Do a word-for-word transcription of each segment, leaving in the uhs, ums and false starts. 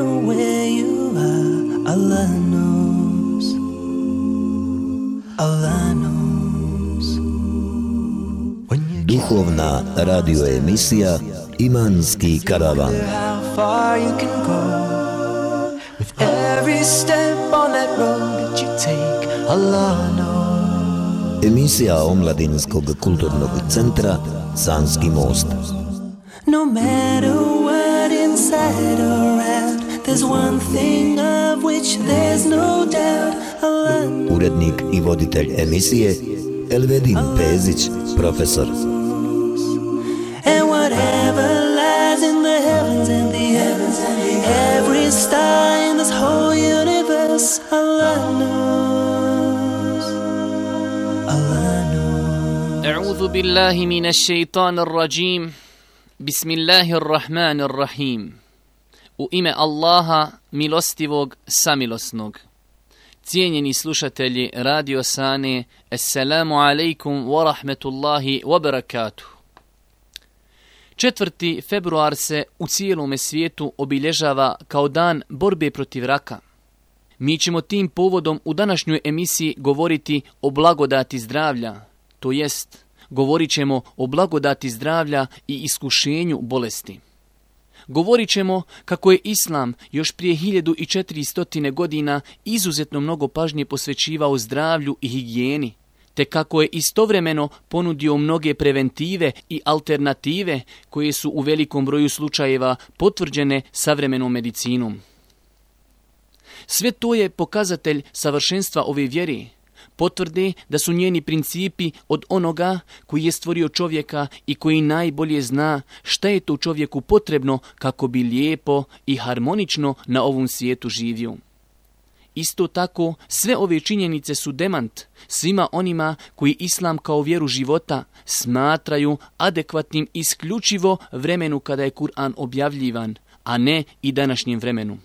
matter where you are, Allah knows. Allah knows. Duhovna radio emisija Imanski karavan. How far you can go with every step on that road that you take, Allah knows. Emisija Omladinskog kulturnog centra Sanski most. No matter what inside or out, there's one thing of which there's no doubt, Allah knows. Urednik i voditelj emisije Elvedin Pezić, profesor. And whatever lies in the heavens and the heavens and the every star in this whole universe, Allah knows. Allah knows. أعوذ بالله من الشيطان الرجيم. بسم الله الرحمن الرحيم. U ime Allaha, milostivog, samilosnog. Cijenjeni slušatelji Radio Sane, assalamu alaikum wa rahmetullahi wa barakatuh. četvrti februar se u cijelome svijetu obilježava kao dan borbe protiv raka. Mi ćemo tim povodom u današnjoj emisiji govoriti o blagodati zdravlja, to jest govorit ćemo o blagodati zdravlja i iskušenju bolesti. Govorit ćemo kako je Islam još prije hiljadu četiristo godina izuzetno mnogo pažnje posvećivao zdravlju i higijeni, te kako je istovremeno ponudio mnoge preventive i alternative koje su u velikom broju slučajeva potvrđene savremenom medicinom. Sve to je pokazatelj savršenstva ove vjere, potvrde da su njeni principi od onoga koji je stvorio čovjeka i koji najbolje zna šta je to čovjeku potrebno kako bi lijepo i harmonično na ovom svijetu živio. Isto tako, sve ove činjenice su demant svima onima koji Islam kao vjeru života smatraju adekvatnim isključivo vremenu kada je Kur'an objavljivan, a ne i današnjem vremenu.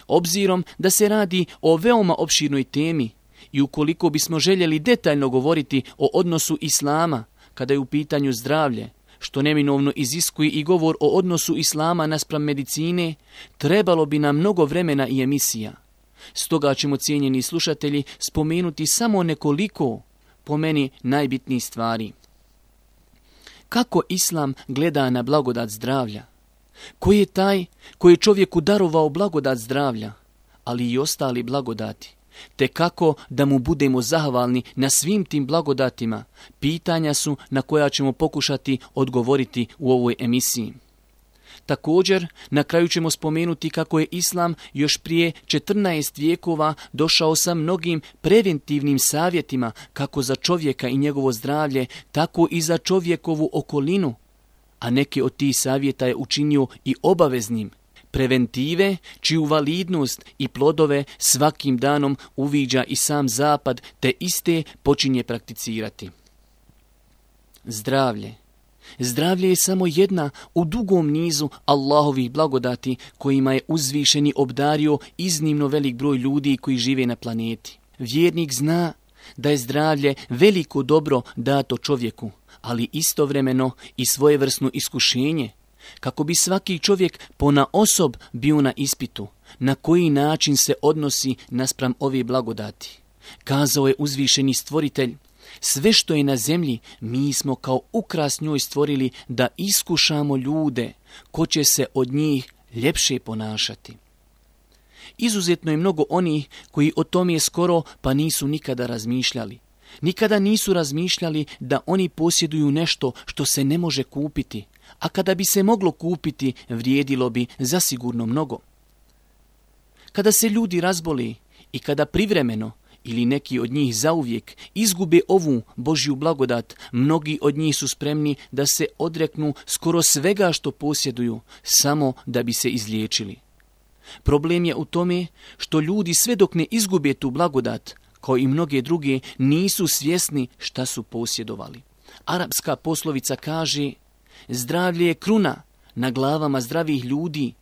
Obzirom da se radi o veoma opširnoj temi i ukoliko bismo željeli detaljno govoriti o odnosu Islama kada je u pitanju zdravlje, što neminovno iziskuje i govor o odnosu Islama naspram medicine, trebalo bi nam mnogo vremena i emisija. Stoga ćemo, cijenjeni slušatelji, spomenuti samo nekoliko, po meni, najbitnijih stvari. Kako Islam gleda na blagodat zdravlja? Ko je taj koji je čovjeku darovao blagodat zdravlja, ali i ostali blagodati? Te kako da mu budemo zahvalni na svim tim blagodatima? Pitanja su na koja ćemo pokušati odgovoriti u ovoj emisiji. Također, na kraju ćemo spomenuti kako je Islam još prije četrnaest vijekova došao sa mnogim preventivnim savjetima kako za čovjeka i njegovo zdravlje, tako i za čovjekovu okolinu, a neke od tih savjeta je učinio i obaveznim. Preventive, čiju validnost i plodove svakim danom uviđa i sam zapad, te iste počinje prakticirati. Zdravlje. Zdravlje je samo jedna u dugom nizu Allahovih blagodati kojima je uzvišeni obdario iznimno velik broj ljudi koji žive na planeti. Vjernik zna da je zdravlje veliko dobro dato čovjeku, ali istovremeno i svojevrsno iskušenje, kako bi svaki čovjek ponaosob bio na ispitu, na koji način se odnosi naspram ove blagodati. Kazao je uzvišeni stvoritelj: sve što je na zemlji mi smo kao ukras njoj stvorili da iskušamo ljude, ko će se od njih ljepše ponašati. Izuzetno je mnogo onih koji o tome skoro pa nisu nikada razmišljali. Nikada nisu razmišljali da oni posjeduju nešto što se ne može kupiti, a kada bi se moglo kupiti, vrijedilo bi zasigurno mnogo. Kada se ljudi razboli i kada privremeno ili neki od njih zauvijek izgube ovu Božju blagodat, mnogi od njih su spremni da se odreknu skoro svega što posjeduju, samo da bi se izliječili. Problem je u tome što ljudi sve dok ne izgube tu blagodat, kao i mnoge druge, nisu svjesni šta su posjedovali. Arapska poslovica kaže: zdravlje je kruna na glavama zdravih ljudi,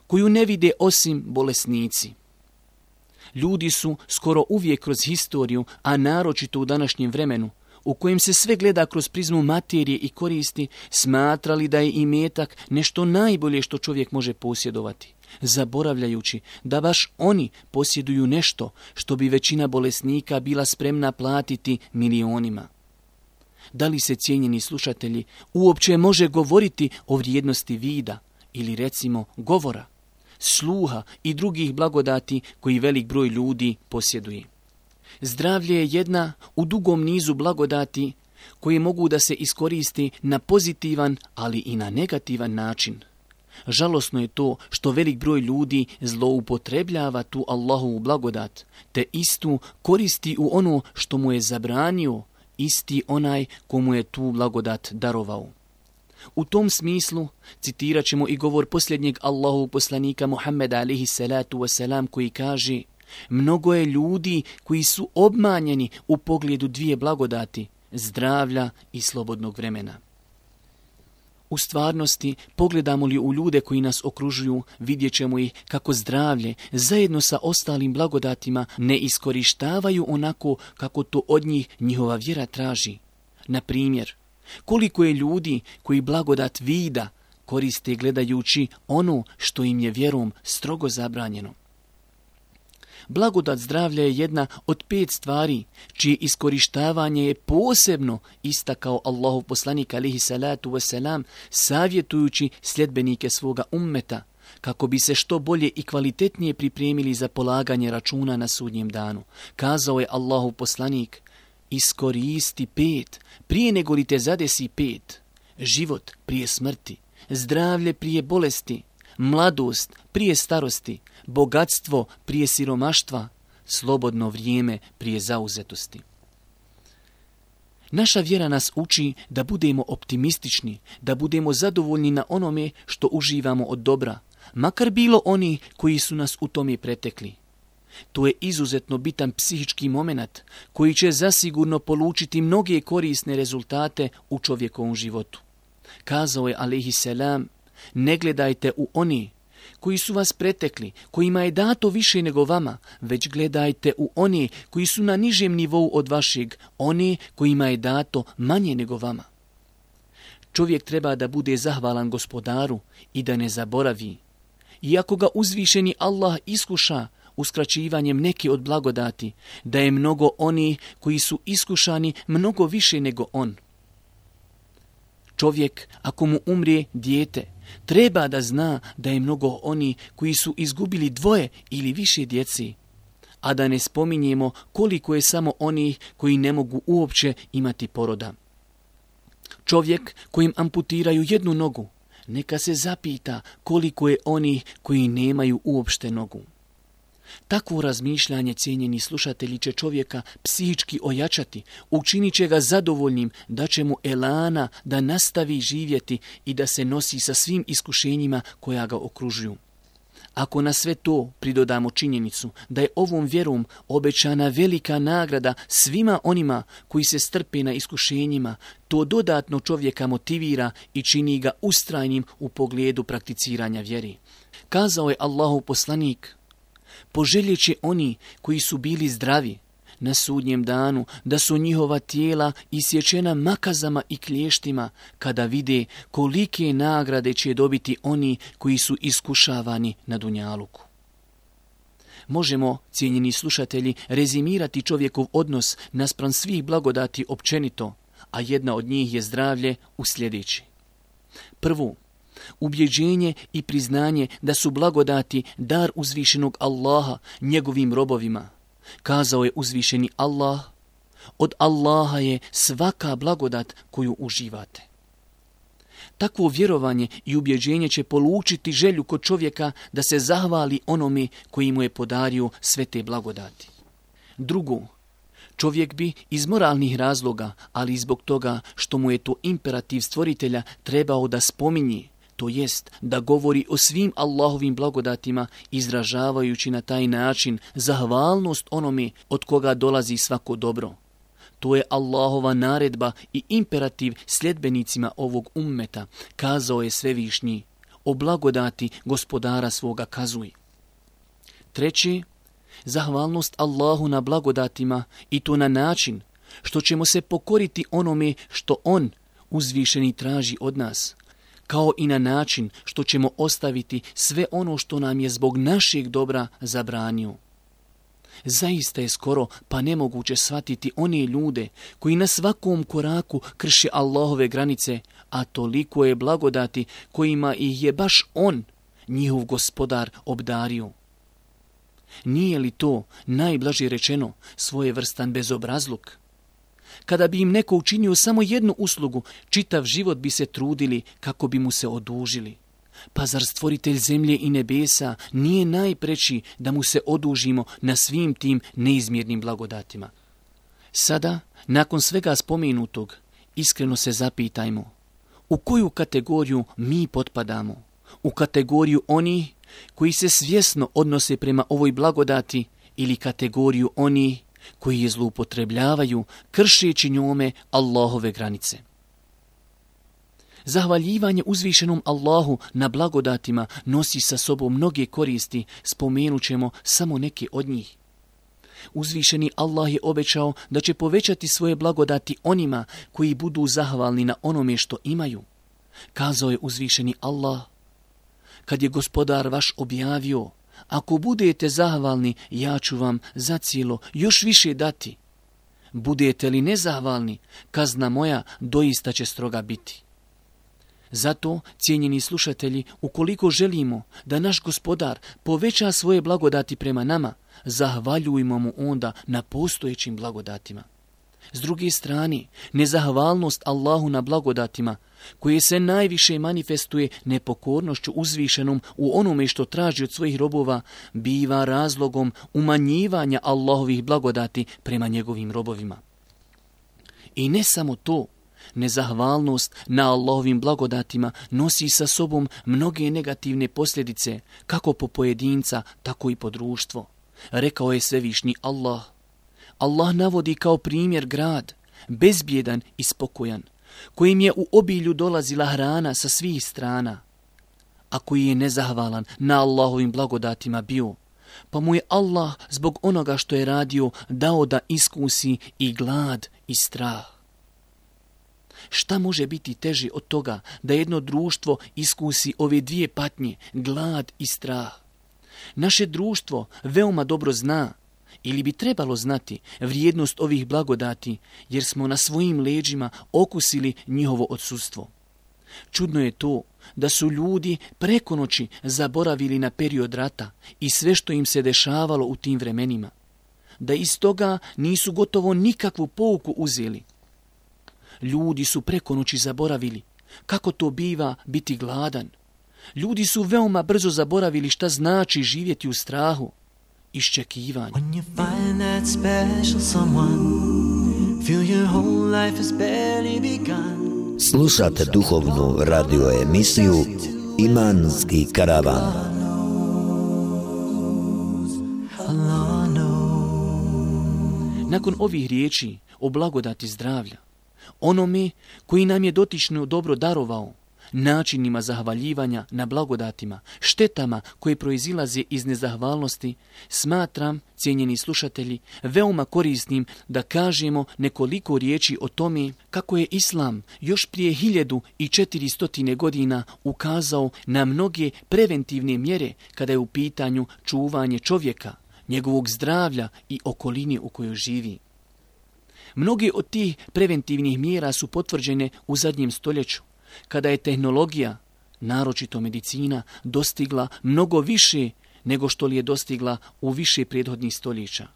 koju ne vide osim bolesnici. Ljudi su skoro uvijek kroz historiju, a naročito u današnjem vremenu, u kojem se sve gleda kroz prizmu materije i koristi, smatrali da je imetak nešto najbolje što čovjek može posjedovati, zaboravljajući da baš oni posjeduju nešto što bi većina bolesnika bila spremna platiti milionima. Da li se, cijenjeni slušatelji, uopće može govoriti o vrijednosti vida ili recimo govora, sluha i drugih blagodati koji velik broj ljudi posjeduje? Zdravlje je jedna u dugom nizu blagodati koje mogu da se iskoristi na pozitivan, ali i na negativan način. Žalosno je to što velik broj ljudi zloupotrebljava tu Allahovu blagodat, te istu koristi u ono što mu je zabranio isti onaj komu je tu blagodat darovao. U tom smislu citirat ćemo i govor posljednjeg Allahovog poslanika Muhammeda alejhi salatu wasalam koji kaže: mnogo je ljudi koji su obmanjeni u pogledu dvije blagodati, zdravlja i slobodnog vremena. U stvarnosti, pogledamo li u ljude koji nas okružuju, vidjet ćemo ih kako zdravlje zajedno sa ostalim blagodatima ne iskorištavaju onako kako to od njih njihova vjera traži. Na primjer, koliko je ljudi koji blagodat vida koriste gledajući ono što im je vjerom strogo zabranjeno. Blagodat zdravlja je jedna od pet stvari čije iskorištavanje je posebno istakao Allahov poslanik alejhi salatu wasalam, savjetujući sljedbenike svoga ummeta kako bi se što bolje i kvalitetnije pripremili za polaganje računa na sudnjem danu. Kazao je Allahov poslanik: iskoristi pet prije nego li te zadesi pet: život prije smrti, zdravlje prije bolesti, mladost prije starosti, bogatstvo prije siromaštva, slobodno vrijeme prije zauzetosti. Naša vjera nas uči da budemo optimistični, da budemo zadovoljni na onome što uživamo od dobra, makar bilo oni koji su nas u tome pretekli. To je izuzetno bitan psihički moment koji će zasigurno polučiti mnoge korisne rezultate u čovjekovom životu. Kazao je alejhi selam: ne gledajte u oni koji su vas pretekli, kojima je dato više nego vama, već gledajte u one koji su na nižem nivou od vašeg, one kojima je dato manje nego vama. Čovjek treba da bude zahvalan Gospodaru i da ne zaboravi. Iako ga uzvišeni Allah iskuša uskraćivanjem neke od blagodati, da je mnogo oni koji su iskušani mnogo više nego on. Čovjek, ako mu umrije dijete, treba da zna da je mnogo oni koji su izgubili dvoje ili više djeci, a da ne spominjemo koliko je samo onih koji ne mogu uopće imati poroda. Čovjek kojim amputiraju jednu nogu, neka se zapita koliko je onih koji nemaju uopšte nogu. Takvo razmišljanje, cijenjeni slušatelji, će čovjeka psihički ojačati, učinit će ga zadovoljnim, da će mu elana da nastavi živjeti i da se nosi sa svim iskušenjima koja ga okružuju. Ako na sve to pridodamo činjenicu da je ovom vjerom obećana velika nagrada svima onima koji se strpe na iskušenjima, to dodatno čovjeka motivira i čini ga ustrajnim u pogledu prakticiranja vjeri. Kazao je Allahov poslanik: poželjet će oni koji su bili zdravi na sudnjem danu da su njihova tijela isječena makazama i klještima kada vide kolike nagrade će dobiti oni koji su iskušavani na dunjaluku. Možemo, cijenjeni slušatelji, rezimirati čovjekov odnos naspram svih blagodati općenito, a jedna od njih je zdravlje u sljedeći. Prvo, ubjeđenje i priznanje da su blagodati dar uzvišenog Allaha njegovim robovima. Kazao je uzvišeni Allah: od Allaha je svaka blagodat koju uživate. Takvo vjerovanje i ubjeđenje će polučiti želju kod čovjeka da se zahvali onome koji mu je podario sve te blagodati. Drugo, čovjek bi iz moralnih razloga, ali i zbog toga što mu je to imperativ stvoritelja, trebao da spominje, to jest da govori o svim Allahovim blagodatima, izražavajući na taj način zahvalnost onome od koga dolazi svako dobro. To je Allahova naredba i imperativ sljedbenicima ovog ummeta. Kazao je Svevišnji: o blagodati Gospodara svoga kazuj. Treće, zahvalnost Allahu na blagodatima, i to na način što ćemo se pokoriti onome što on, uzvišeni, traži od nas, kao i na način što ćemo ostaviti sve ono što nam je zbog našeg dobra zabranio. Zaista je skoro pa nemoguće shvatiti one ljude koji na svakom koraku krše Allahove granice, a toliko je blagodati kojima ih je baš on, njihov gospodar, obdario. Nije li to, najblaže rečeno, svojevrstan bezobrazluk? Kada bi im neko učinio samo jednu uslugu, čitav život bi se trudili kako bi mu se odužili. Pa zar stvoritelj zemlje i nebesa nije najpreći da mu se odužimo na svim tim neizmjernim blagodatima? Sada, nakon svega spomenutog, iskreno se zapitajmo, u koju kategoriju mi potpadamo? U kategoriju onih koji se svjesno odnose prema ovoj blagodati ili kategoriju onih koji je zloupotrebljavaju kršeći njome Allahove granice? Zahvaljivanje uzvišenom Allahu na blagodatima nosi sa sobom mnoge koristi, spomenut ćemo samo neke od njih. Uzvišeni Allah je obećao da će povećati svoje blagodati onima koji budu zahvalni na onome što imaju. Kazao je uzvišeni Allah: kad je gospodar vaš objavio, ako budete zahvalni, ja ću vam zacijelo još više dati. Budete li nezahvalni, kazna moja doista će stroga biti. Zato, cijenjeni slušatelji, ukoliko želimo da naš gospodar poveća svoje blagodati prema nama, zahvaljujmo mu onda na postojećim blagodatima. S druge strane, nezahvalnost Allahu na blagodatima, koje se najviše manifestuje nepokornošću uzvišenom u onome što traži od svojih robova, biva razlogom umanjivanja Allahovih blagodati prema njegovim robovima. I ne samo to, nezahvalnost na Allahovim blagodatima nosi sa sobom mnoge negativne posljedice, kako po pojedinca, tako i po društvo. Rekao je svevišnji Allah. Allah navodi kao primjer grad, bezbjedan i spokojan, kojim je u obilju dolazila hrana sa svih strana, a koji je nezahvalan na Allahovim blagodatima bio, pa mu je Allah zbog onoga što je radio dao da iskusi i glad i strah. Šta može biti teže od toga da jedno društvo iskusi ove dvije patnje, glad i strah? Naše društvo veoma dobro zna, ili bi trebalo znati, vrijednost ovih blagodati, jer smo na svojim leđima okusili njihovo odsustvo. Čudno je to da su ljudi preko noći zaboravili na period rata i sve što im se dešavalo u tim vremenima, da iz toga nisu gotovo nikakvu pouku uzeli. Ljudi su preko noći zaboravili kako to biva biti gladan. Ljudi su veoma brzo zaboravili šta znači živjeti u strahu, iščekivanje. When you find that special someone, feel your whole life has barely begun. Slušate duhovnu radio emisiju Imanski karavan. Nakon ovih riječi o blagodati zdravlja, onome koji nam je dotično dobro darovao, načinima zahvaljivanja na blagodatima, štetama koje proizilaze iz nezahvalnosti, smatram, cijenjeni slušatelji, veoma korisnim da kažemo nekoliko riječi o tome kako je Islam još prije hiljadu i četiristotine godina ukazao na mnoge preventivne mjere kada je u pitanju čuvanje čovjeka, njegovog zdravlja i okoline u kojoj živi. Mnoge od tih preventivnih mjera su potvrđene u zadnjem stoljeću, kada je tehnologija, naročito medicina, dostigla mnogo više nego što li je dostigla u više prethodnih stoljeća.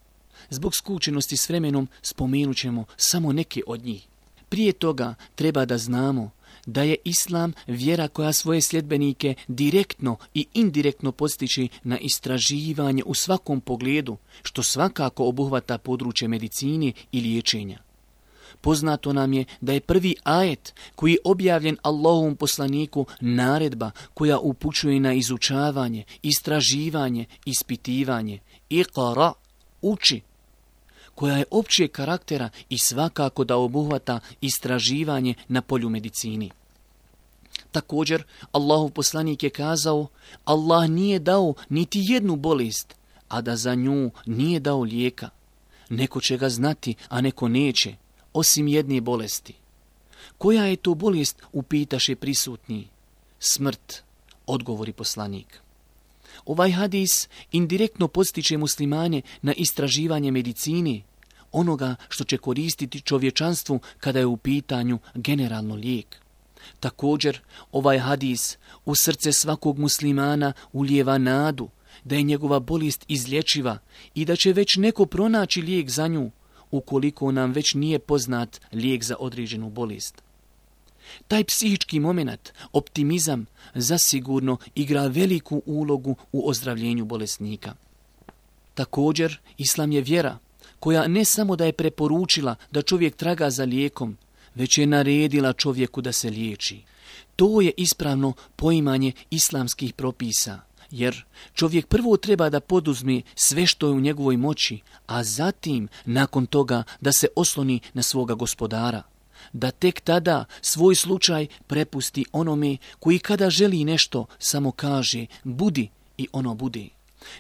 Zbog skučenosti s vremenom spomenut ćemo samo neke od njih. Prije toga treba da znamo da je Islam vjera koja svoje sljedbenike direktno i indirektno postiče na istraživanje u svakom pogledu, što svakako obuhvata područje medicine i liječenja. Poznato nam je da je prvi ajet koji je objavljen Allahovom poslaniku naredba koja upućuje na izučavanje, istraživanje, ispitivanje. Iqra, uči, koja je općeg karaktera i svakako da obuhvata istraživanje na polju medicini. Također, Allahov poslanik je kazao, Allah nije dao niti jednu bolest, a da za nju nije dao lijeka. Neko će ga znati, a neko neće. osim jedne bolesti. Koja je to bolest, upitaše prisutni? Smrt, odgovori poslanik. Ovaj hadis indirektno podstiče muslimane na istraživanje medicine, onoga što će koristiti čovječanstvu kada je u pitanju generalno lijek. Također, ovaj hadis u srce svakog muslimana ulijeva nadu da je njegova bolest izlječiva i da će već neko pronaći lijek za nju, ukoliko nam već nije poznat lijek za određenu bolest. Taj psihički moment, optimizam, zasigurno igra veliku ulogu u ozdravljenju bolesnika. Također, islam je vjera koja ne samo da je preporučila da čovjek traga za lijekom, već je naredila čovjeku da se liječi. To je ispravno poimanje islamskih propisa, jer čovjek prvo treba da poduzme sve što je u njegovoj moći, a zatim, nakon toga, da se osloni na svoga gospodara. Da tek tada svoj slučaj prepusti onome koji kada želi nešto samo kaže budi i ono bude.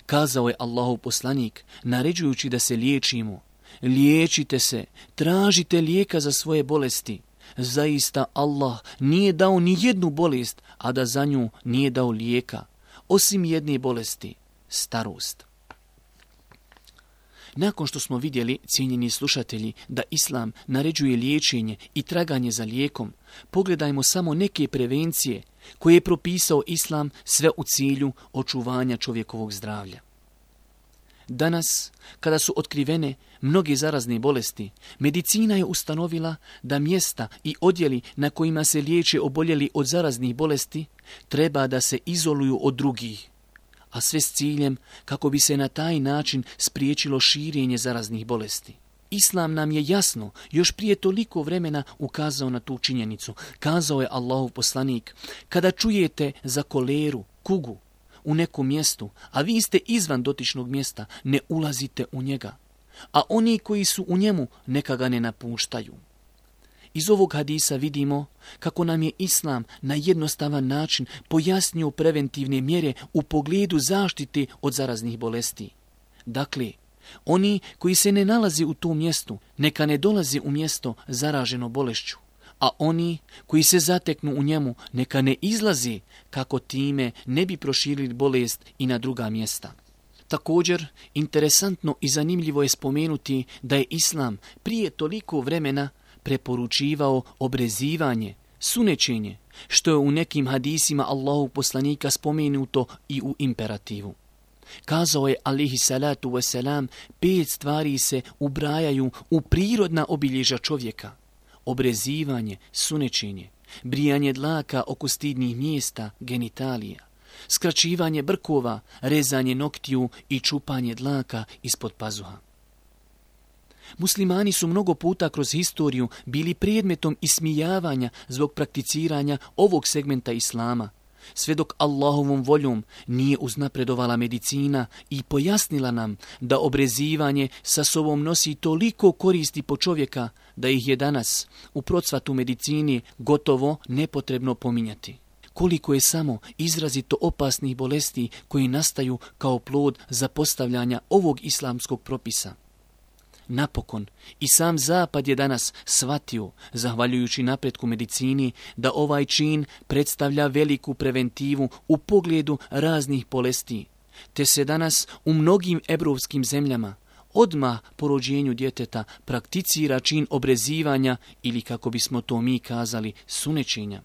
Kazao je Allahov poslanik naređujući da se liječimo. Liječite se, tražite lijeka za svoje bolesti. Zaista Allah nije dao ni jednu bolest, a da za nju nije dao lijeka, osim jedne bolesti, starost. Nakon što smo vidjeli, cijenjeni slušatelji, da islam naređuje liječenje i traganje za lijekom, pogledajmo samo neke prevencije koje je propisao islam, sve u cilju očuvanja čovjekovog zdravlja. Danas, kada su otkrivene mnoge zarazne bolesti, medicina je ustanovila da mjesta i odjeli na kojima se liječe oboljeli od zaraznih bolesti treba da se izoluju od drugih, a sve s ciljem kako bi se na taj način spriječilo širenje zaraznih bolesti. Islam nam je jasno još prije toliko vremena ukazao na tu činjenicu. Kazao je Allahov poslanik, kada čujete za koleru, kugu u nekom mjestu, a vi ste izvan dotičnog mjesta, ne ulazite u njega, a oni koji su u njemu neka ga ne napuštaju. Iz ovog hadisa vidimo kako nam je islam na jednostavan način pojasnio preventivne mjere u pogledu zaštite od zaraznih bolesti. Dakle, oni koji se ne nalazi u tom mjestu, neka ne dolazi u mjesto zaraženo bolešću, a oni koji se zateknu u njemu, neka ne izlazi kako time ne bi proširili bolest i na druga mjesta. Također, interesantno i zanimljivo je spomenuti da je islam prije toliko vremena preporučivao obrezivanje, sunečenje, što je u nekim hadisima Allahov poslanika spomenuto i u imperativu. Kazao je alihi salatu wasalam, pet stvari se ubrajaju u prirodna obilježja čovjeka. Obrezivanje, sunečenje, brijanje dlaka oko stidnih mjesta, genitalija, skraćivanje brkova, rezanje noktiju i čupanje dlaka ispod pazuha. Muslimani su mnogo puta kroz historiju bili predmetom ismijavanja zbog prakticiranja ovog segmenta islama, sve dok Allahovom voljom nije uznapredovala medicina i pojasnila nam da obrezivanje sa sobom nosi toliko koristi po čovjeka da ih je danas u procvatu medicini gotovo nepotrebno pominjati. Koliko je samo izrazito opasnih bolesti koji nastaju kao plod zapostavljanja ovog islamskog propisa. Napokon, i sam Zapad je danas shvatio, zahvaljujući napretku medicini, da ovaj čin predstavlja veliku preventivu u pogledu raznih bolesti, te se danas u mnogim evropskim zemljama odmah po rođenju djeteta prakticira čin obrezivanja ili, kako bismo to mi kazali, sunečenja.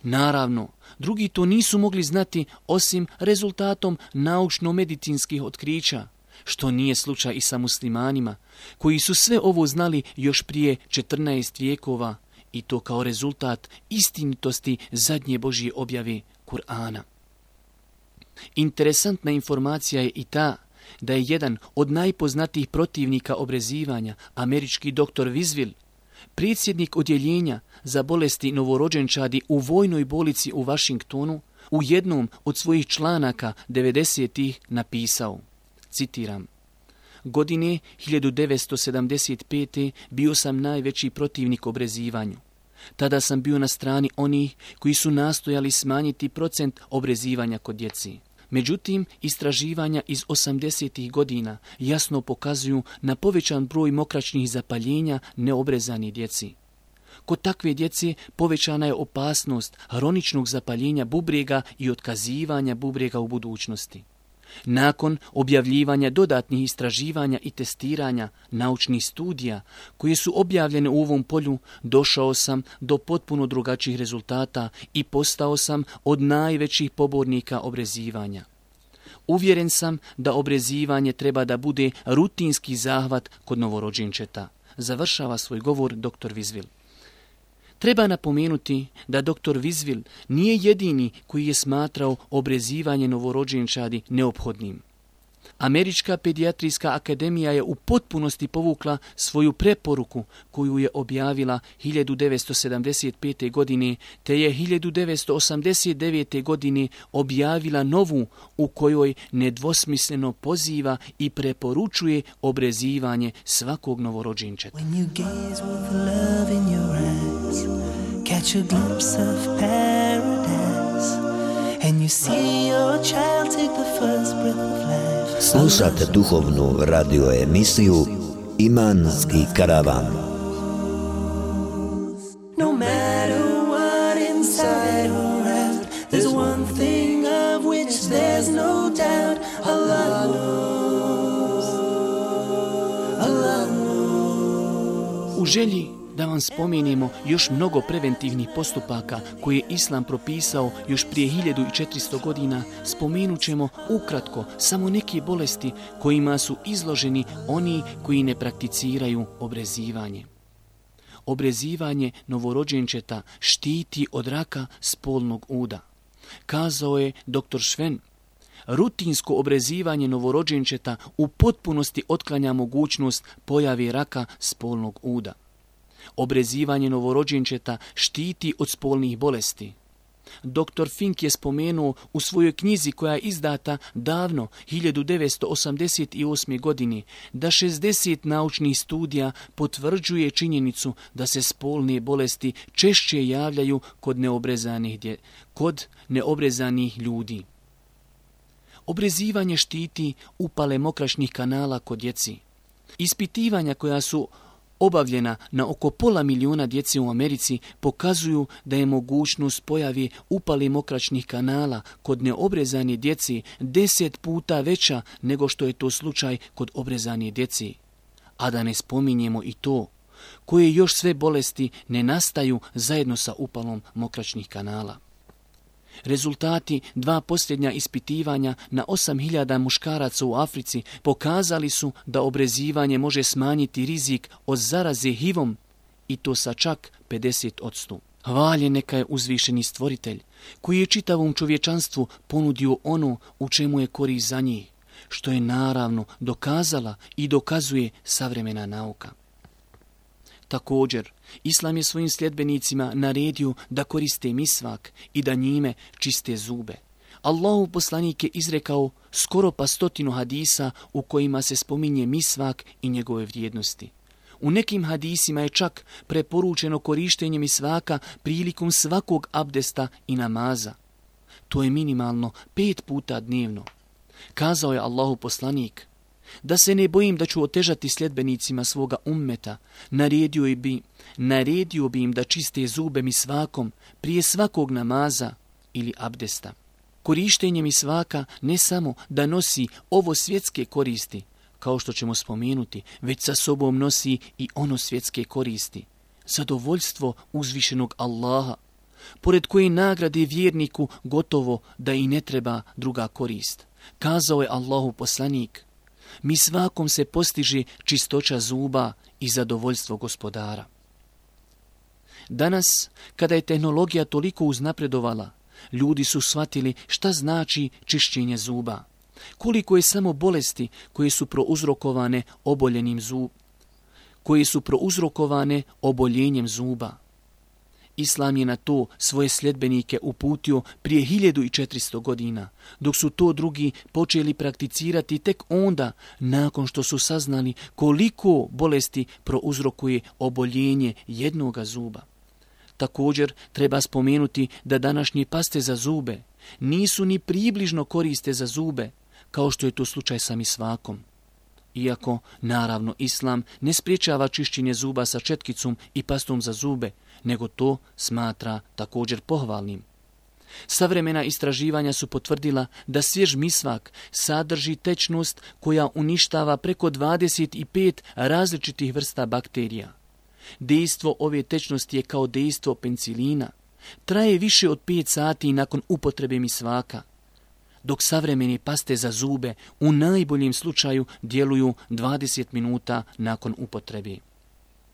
Naravno, drugi to nisu mogli znati osim rezultatom naučno-medicinskih otkrića, što nije slučaj i sa muslimanima, koji su sve ovo znali još prije četrnaest vijekova i to kao rezultat istinitosti zadnje Božje objave Kur'ana. Interesantna informacija je i ta da je jedan od najpoznatijih protivnika obrezivanja, američki doktor Wiswell, predsjednik odjeljenja za bolesti novorođenčadi u vojnoj bolnici u Washingtonu, u jednom od svojih članaka devedesetih napisao, citiram, godine hiljadu devetsto sedamdeset pete. bio sam najveći protivnik obrezivanju. Tada sam bio na strani onih koji su nastojali smanjiti procent obrezivanja kod djeci. Međutim, istraživanja iz osamdesetih godina jasno pokazuju na povećan broj mokraćnih zapaljenja neobrezani djeci. Kod takve djece povećana je opasnost hroničnog zapaljenja bubrega i otkazivanja bubrega u budućnosti. Nakon objavljivanja dodatnih istraživanja i testiranja naučnih studija koje su objavljene u ovom polju, došao sam do potpuno drugačijih rezultata i postao sam od najvećih pobornika obrezivanja. Uvjeren sam da obrezivanje treba da bude rutinski zahvat kod novorođenčeta. Završava svoj govor doktor Wiswil. Treba napomenuti da doktor Wiswil nije jedini koji je smatrao obrezivanje novorođenčadi neophodnim. Američka pedijatrijska akademija je u potpunosti povukla svoju preporuku koju je objavila hiljadu devetsto sedamdeset pete. godine, te je hiljadu devetsto osamdeset devete. godine objavila novu u kojoj nedvosmisleno poziva i preporučuje obrezivanje svakog novorođenčeta. Catch a glimpse of paradise, and you see your child take the first breath of life. Slušate duhovnu radio emisiju Imanski karavan. No matter what inside or out, there's one thing of which there's no doubt. Allah knows, Allah knows. U želji da vam spomenemo još mnogo preventivnih postupaka koje je Islam propisao još prije hiljadu četiristo godina, spomenut ćemo ukratko samo neke bolesti kojima su izloženi oni koji ne prakticiraju obrezivanje. Obrezivanje novorođenčeta štiti od raka spolnog uda. Kazao je doktor Šven, rutinsko obrezivanje novorođenčeta u potpunosti otklanja mogućnost pojave raka spolnog uda. Obrezivanje novorođenčeta štiti od spolnih bolesti. doktor Fink je spomenuo u svojoj knjizi koja je izdata davno, hiljadu devetsto osamdeset osme. godine, da šezdeset naučnih studija potvrđuje činjenicu da se spolne bolesti češće javljaju kod neobrezanih, dje, kod neobrezanih ljudi. Obrezivanje štiti upale mokraćnih kanala kod djeci. Ispitivanja koja su obavljena na oko pola milijuna djece u Americi pokazuju da je mogućnost pojave upale mokraćnih kanala kod neobrezane djece deset puta veća nego što je to slučaj kod obrezane djece. A da ne spominjemo i to, koje još sve bolesti ne nastaju zajedno sa upalom mokraćnih kanala. Rezultati dva posljednja ispitivanja na osam hiljada muškaraca u Africi pokazali su da obrezivanje može smanjiti rizik od zaraze H I V-om i to sa čak pedeset posto. Hvaljen neka je uzvišeni stvoritelj koji je čitavom čovječanstvu ponudio ono u čemu je korist za njih, što je naravno dokazala i dokazuje savremena nauka. Također, Islam je svojim sljedbenicima naredio da koriste misvak i da njime čiste zube. Allahov poslanik je izrekao skoro pa stotinu hadisa u kojima se spominje misvak i njegove vrijednosti. U nekim hadisima je čak preporučeno korištenje misvaka prilikom svakog abdesta i namaza. To je minimalno pet puta dnevno. Kazao je Allahov poslanik: da se ne bojim da ću otežati sljedbenicima svoga ummeta, naredio bi, naredio bi im da čiste zube misvakom prije svakog namaza ili abdesta. Korištenje misvaka ne samo da nosi ovo svjetske koristi, kao što ćemo spomenuti, već sa sobom nosi i ono svjetske koristi. Zadovoljstvo uzvišenog Allaha, pored koje nagrade vjerniku gotovo da i ne treba druga korist. Kazao je Allahov poslanik: misvakom se postiže čistoća zuba i zadovoljstvo gospodara. Danas, kada je tehnologija toliko uznapredovala, ljudi su shvatili šta znači čišćenje zuba. Koliko je samo bolesti koje su prouzrokovane oboljenim zub, koje su prouzrokovane oboljenjem zuba. Islam je na to svoje sljedbenike uputio prije hiljadu četiristo godina, dok su to drugi počeli prakticirati tek onda, nakon što su saznali koliko bolesti prouzrokuje oboljenje jednoga zuba. Također treba spomenuti da današnje paste za zube nisu ni približno koriste za zube, kao što je to slučaj sa misvakom. Iako, naravno, islam ne spriječava čišćenje zuba sa četkicom i pastom za zube, nego to smatra također pohvalnim. Savremena istraživanja su potvrdila da svjež misvak sadrži tečnost koja uništava preko dvadeset pet različitih vrsta bakterija. Dejstvo ove tečnosti je kao dejstvo penicilina. Traje više od pet sati nakon upotrebe misvaka, dok savremene paste za zube u najboljem slučaju djeluju dvadeset minuta nakon upotrebe.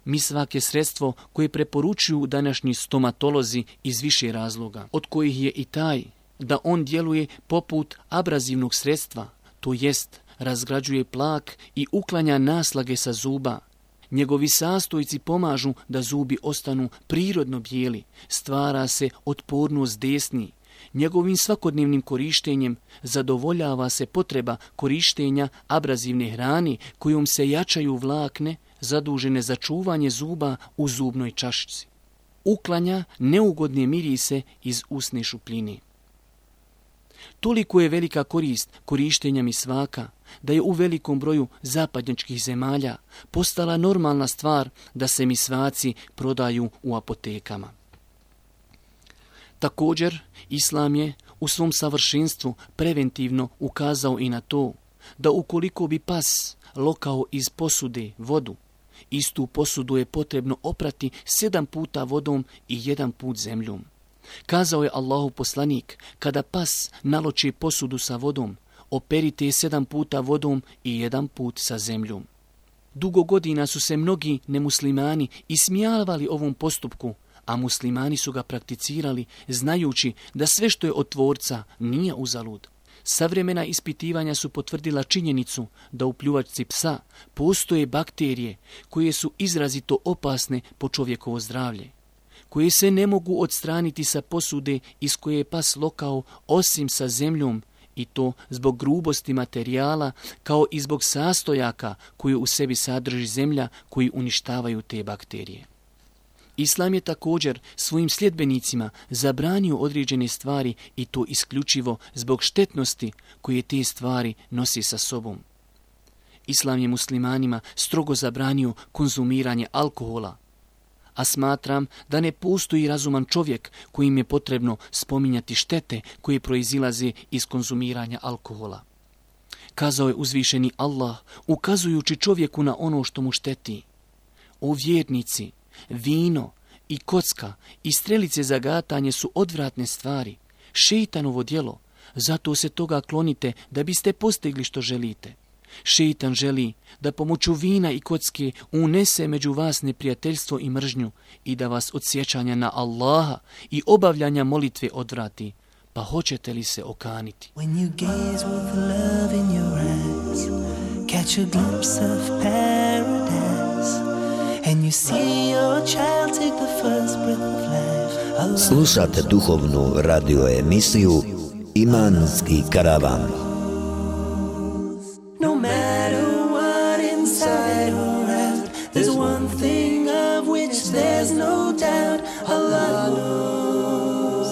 Misvak je sredstvo koje preporučuju današnji stomatolozi iz više razloga, od kojih je i taj da on djeluje poput abrazivnog sredstva, to jest razgrađuje plak i uklanja naslage sa zuba. Njegovi sastojci pomažu da zubi ostanu prirodno bijeli, stvara se otpornost desni. Njegovim svakodnevnim korištenjem zadovoljava se potreba korištenja abrazivne hrane kojom se jačaju vlakne zadužene za čuvanje zuba u zubnoj čašici. Uklanja neugodne mirise iz usne šupljine. Toliko je velika korist korištenja misvaka da je u velikom broju zapadnjačkih zemalja postala normalna stvar da se misvaci prodaju u apotekama. Također, islam je u svom savršenstvu preventivno ukazao i na to da ukoliko bi pas lokao iz posude vodu, istu posudu je potrebno oprati sedam puta vodom i jedan put zemljom. Kazao je Allahov poslanik, kada pas naloči posudu sa vodom, operite je sedam puta vodom i jedan put sa zemljom. Dugo godina su se mnogi nemuslimani ismijavali ovom postupku, a muslimani su ga prakticirali znajući da sve što je od Tvorca nije uzalud. Savremena ispitivanja su potvrdila činjenicu da u pljuvačci psa postoje bakterije koje su izrazito opasne po čovjekovo zdravlje, koje se ne mogu odstraniti sa posude iz koje je pas lokao osim sa zemljom, i to zbog grubosti materijala kao i zbog sastojaka koje u sebi sadrži zemlja koji uništavaju te bakterije. Islam je također svojim sljedbenicima zabranio određene stvari i to isključivo zbog štetnosti koje te stvari nosi sa sobom. Islam je muslimanima strogo zabranio konzumiranje alkohola, a smatram da ne postoji razuman čovjek kojim je potrebno spominjati štete koje proizilaze iz konzumiranja alkohola. Kazao je uzvišeni Allah, ukazujući čovjeku na ono što mu šteti: o vjernici, vino i kocka i strelice za gatanje su odvratne stvari, šeitanovo djelo, zato se toga klonite da biste postigli što želite. Šeitan želi da pomoću vina i kocke unese među vas neprijateljstvo i mržnju i da vas od sjećanja na Allaha i obavljanja molitve odvrati. Pa hoćete li se okaniti? When you gaze with love in your eyes, catch a glimpse of paradise, and you see your child take the first breath of life. Allah. Slušate duhovnu radio emisiju Imanski karavan. No matter what inside or out, there's one thing of which there's no doubt. Allah knows.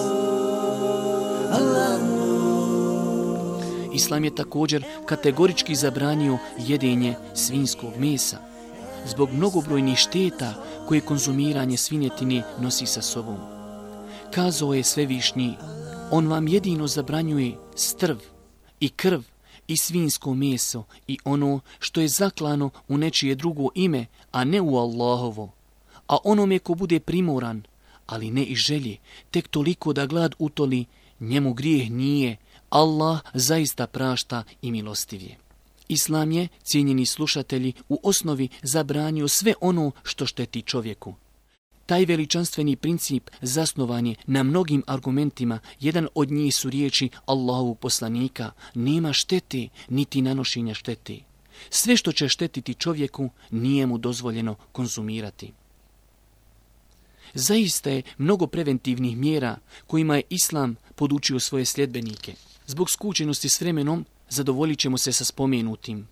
Allah knows. Islam je također kategorički zabranio jedenje svinjskog mesa zbog mnogobrojnih šteta koje konzumiranje svinjetine nosi sa sobom. Kazao je Svevišnji, on vam jedino zabranjuje strv i krv i svinjsko meso i ono što je zaklano u nečije drugo ime, a ne u Allahovo. A onome ko bude primoran, ali ne i želje, tek toliko da glad utoli, njemu grijeh nije, Allah zaista prašta i milostiv je. Islam je, cijenjeni slušatelji, u osnovi zabranio sve ono što šteti čovjeku. Taj veličanstveni princip zasnovan je na mnogim argumentima, jedan od njih su riječi Allahovog poslanika: nema štete niti nanošenja štete. Sve što će štetiti čovjeku nije mu dozvoljeno konzumirati. Zaista je mnogo preventivnih mjera kojima je Islam podučio svoje sljedbenike. Zbog skučenosti s vremenom zadovoljit ćemo se sa spomenutim.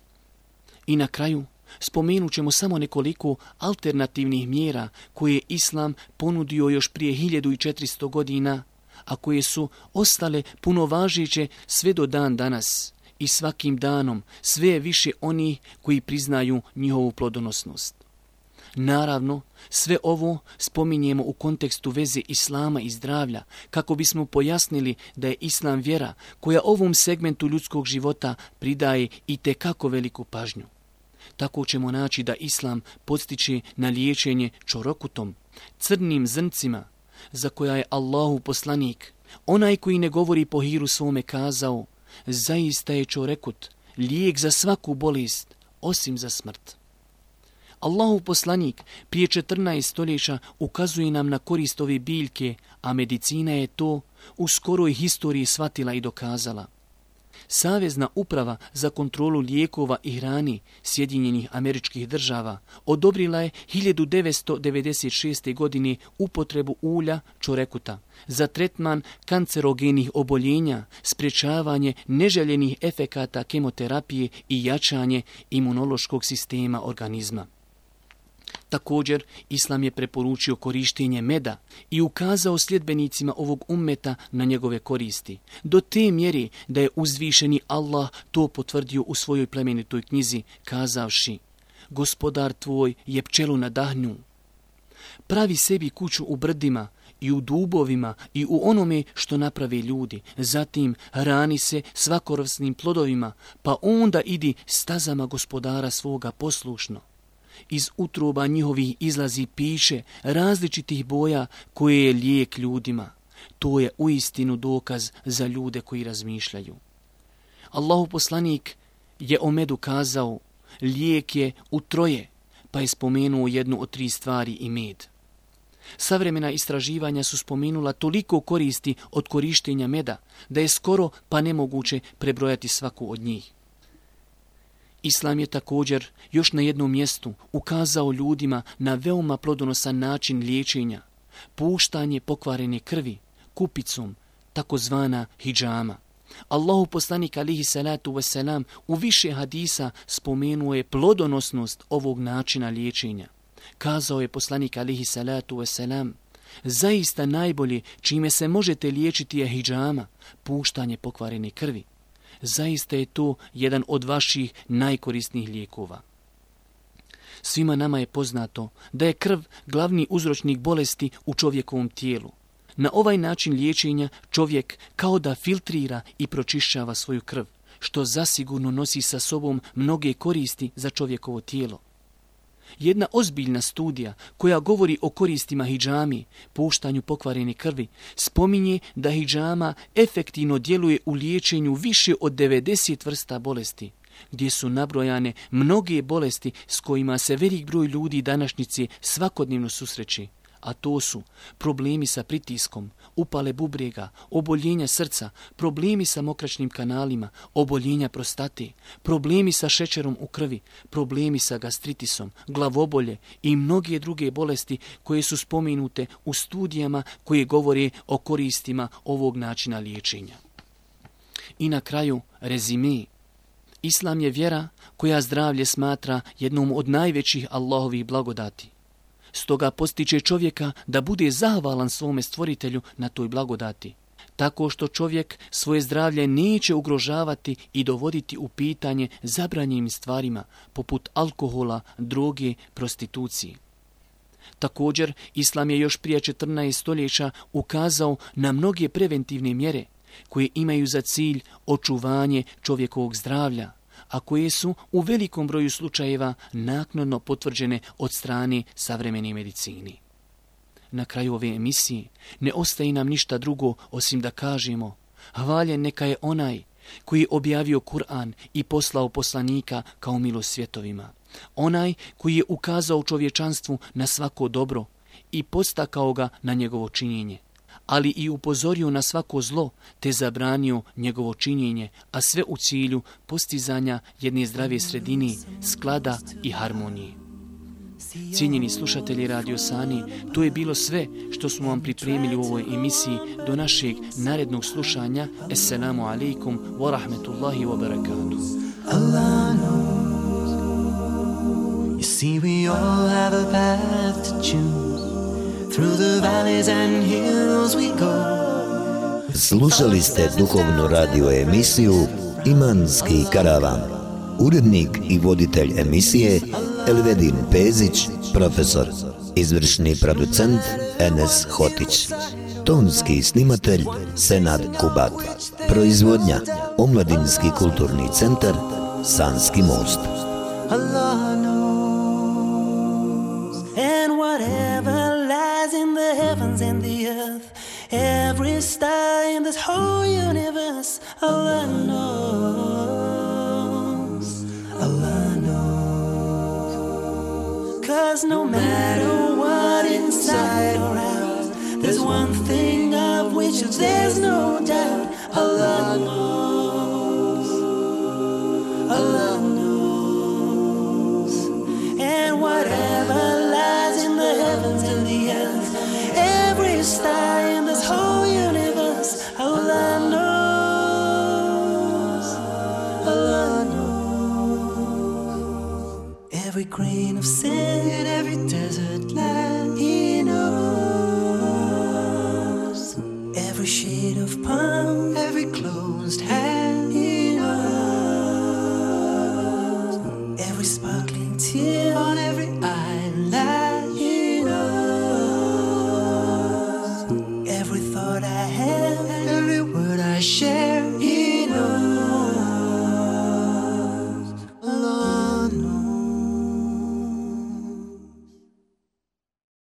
I na kraju spomenut ćemo samo nekoliko alternativnih mjera koje je Islam ponudio još prije hiljadu četiristo godina, a koje su ostale punovažeće sve do dan danas i svakim danom sve je više onih koji priznaju njihovu plodonosnost. Naravno, sve ovo spominjemo u kontekstu veze islama i zdravlja, kako bismo pojasnili da je islam vjera koja ovom segmentu ljudskog života pridaje i tekako veliku pažnju. Tako ćemo naći da islam podstiče na liječenje čorokutom, crnim zrncima, za koja je Allahu poslanik, onaj koji ne govori po hiru svome, kazao: zaista je čorekut lijek za svaku bolest, osim za smrt. Allahu poslanik prije četrnaest stoljeća ukazuje nam na korist ove biljke, a medicina je to u skoroj historiji shvatila i dokazala. Savezna uprava za kontrolu lijekova i hrani Sjedinjenih Američkih Država odobrila je hiljadu devetsto devedeset šeste. godine upotrebu ulja čorekuta za tretman kancerogenih oboljenja, sprječavanje neželjenih efekata kemoterapije i jačanje imunološkog sistema organizma. Također, islam je preporučio korištenje meda i ukazao sljedbenicima ovog ummeta na njegove koristi, do te mjere da je uzvišeni Allah to potvrdio u svojoj plemenitoj knjizi, kazavši: gospodar tvoj je pčelu nadahnuo. Pravi sebi kuću u brdima i u dubovima i u onome što naprave ljudi, zatim hrani se svakovrsnim plodovima, pa onda idi stazama gospodara svoga poslušno. Iz utroba njihovih izlazi piše različitih boja koje je lijek ljudima. To je uistinu dokaz za ljude koji razmišljaju. Allahu poslanik je o medu kazao: lijek je u troje, pa je spomenuo jednu od tri stvari i med. Savremena istraživanja su spomenula toliko koristi od korištenja meda da je skoro pa nemoguće prebrojati svaku od njih. Islam je također još na jednom mjestu ukazao ljudima na veoma plodonosan način liječenja, puštanje pokvarene krvi kupicom, takozvana hidžama. Allahu poslanik alihi salatu wasalam u više hadisa spomenuo je plodonosnost ovog načina liječenja. Kazao je poslanik alihi salatu wasalam: zaista najbolje čime se možete liječiti je hidžama, puštanje pokvarene krvi. Zaista je to jedan od vaših najkorisnijih lijekova. Svima nama je poznato da je krv glavni uzročnik bolesti u čovjekovom tijelu. Na ovaj način liječenja čovjek kao da filtrira i pročišćava svoju krv, što zasigurno nosi sa sobom mnoge koristi za čovjekovo tijelo. Jedna ozbiljna studija koja govori o koristima hidžami, puštanju pokvarene krvi, spominje da hidžama efektivno djeluje u liječenju više od devedeset vrsta bolesti, gdje su nabrojane mnoge bolesti s kojima se velik broj ljudi današnjice svakodnevno susreće, a to su problemi sa pritiskom, upale bubrega, oboljenja srca, problemi sa mokraćnim kanalima, oboljenja prostate, problemi sa šećerom u krvi, problemi sa gastritisom, glavobolje i mnoge druge bolesti koje su spomenute u studijama koje govore o koristima ovog načina liječenja. I na kraju rezime. Islam je vjera koja zdravlje smatra jednom od najvećih Allahovih blagodati. Stoga postiče čovjeka da bude zahvalan svome stvoritelju na toj blagodati, tako što čovjek svoje zdravlje neće ugrožavati i dovoditi u pitanje zabranjenim stvarima, poput alkohola, droge, prostitucije. Također, Islam je još prije četrnaest stoljeća ukazao na mnoge preventivne mjere koje imaju za cilj očuvanje čovjekovog zdravlja, a koje su u velikom broju slučajeva naknadno potvrđene od strane savremene medicine. Na kraju ove emisije ne ostaje nam ništa drugo osim da kažemo: hvaljen neka je onaj koji je objavio Kur'an i poslao poslanika kao milost svjetovima, onaj koji je ukazao čovječanstvu na svako dobro i podstakao ga na njegovo činjenje, ali i upozorio na svako zlo te zabranio njegovo činjenje, a sve u cilju postizanja jedne zdrave sredine, sklada i harmonije. Cijenjeni slušatelji Radio Sani, to je bilo sve što smo vam pripremili u ovoj emisiji. Do našeg narednog slušanja. Assalamu alaikum wa rahmetullahi wa barakatuh. Allah knows. You see, we all have a path to choose. Through the valleys and hills we go. Slušali ste duhovnu radio emisiju Imanski karavan. Urednik i voditelj emisije Elvedin Pezić, profesor. Izvršni producent Enes Hotić. Tonski snimatelj Senad Kubat. Proizvodnja Omladinski kulturni centar Sanski most. Allah knows, and whatever lies in the heavens and the earth, every star in this whole universe, Allah knows, Allah knows. 'Cause no matter what inside or out, there's one thing of which there's no doubt, Allah knows, Allah knows. And whatever lies in the heavens and the earth, every star in this whole universe, Allah knows, Allah knows. Every grain of sand in every desert land, He knows. Every shade of palm, every closed hand, He knows. Every sparkling tear on every eyelid, He knows. Every thought I have, every word I share, He knows.